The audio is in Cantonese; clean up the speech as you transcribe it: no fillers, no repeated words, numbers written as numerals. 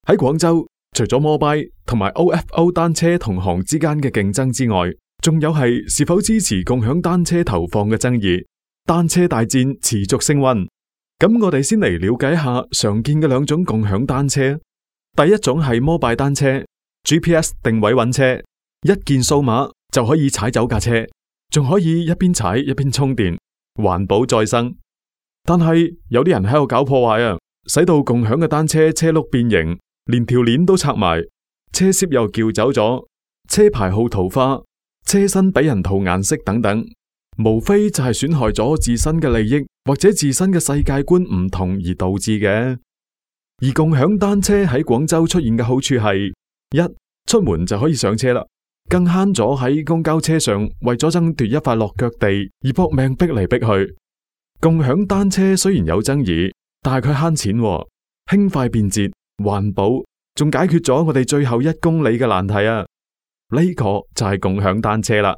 喺廣州，除咗摩拜同埋 OFO 單車同行之間嘅競爭之外，仲有係是否支持共享單車投放嘅爭議。單車大戰持續升溫。咁我哋先嚟了解一下常見嘅兩種共享單車。第一種係摩拜單車 ，GPS 定位揾車，一鍵掃碼就可以踩走架車，仲可以一邊踩一邊充電，環保再生。但係有啲人喺度搞破壞啊，使到共享嘅單車車轆變形，連條鏈都拆埋，車攝又撬走咗，車牌號塗化，車身俾人塗顏色等等，無非就係損害咗自身嘅利益或者自身嘅世界觀唔同而導致嘅。而共享單車喺廣州出現嘅好處係：一、出門就可以上車啦，更慳咗喺公交車上為咗爭奪一塊落腳地而搏命逼嚟逼去。共享單車雖然有爭議，但係佢慳錢喎，輕快便捷，環保，仲解決咗我哋最後1公里嘅難題啊！呢個就係共享單車啦。